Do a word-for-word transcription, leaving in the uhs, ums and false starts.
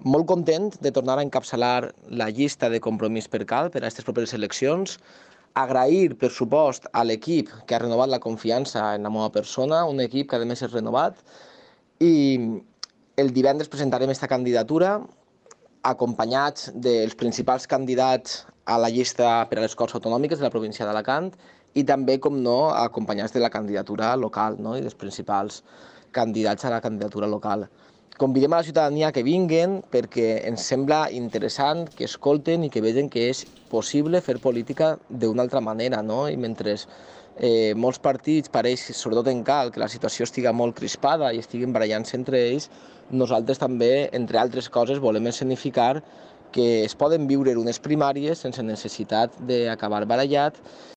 Molt content de tornar a encapçalar la llista de Compromís per Cal per a aquestes properes eleccions. Agrair, per supost, a l'equip que ha renovat la confiança en la meva persona, un equip que a més és renovat, i el divendres presentarem aquesta candidatura acompanyats dels principals candidats a la llista per a les Corts Autonòmiques de la província d'Alacant i també, com no, acompanyats de la candidatura local, no?, i dels principals candidats a la candidatura local. Convidem a la ciutadania que vinguin perquè ens sembla interessant que escolten i que vegin que és possible fer política d'una altra manera, no? I mentre eh, molts partits pareix, sobretot en Cal, que la situació estiga molt crispada i estiguin barallant-se entre ells, nosaltres també, entre altres coses, volem escenificar que es poden viure unes primàries sense necessitat d'acabar barallat